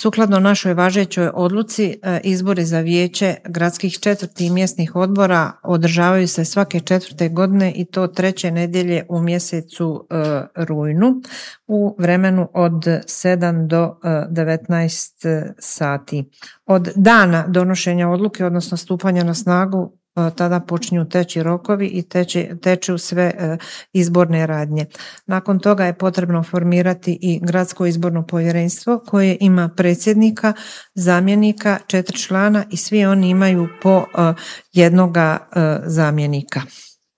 Sukladno našoj važećoj odluci, izbori za vijeće gradskih četvrti i mjesnih odbora održavaju se svake 4. godine i to 3. nedjelje u mjesecu rujnu u vremenu od 7 do 19 sati. Od dana donošenja odluke, odnosno stupanja na snagu, tada počinju teći rokovi i teču sve izborne radnje. Nakon toga je potrebno formirati i gradsko izborno povjerenstvo koje ima predsjednika, zamjenika, 4 člana i svi oni imaju po jednoga zamjenika.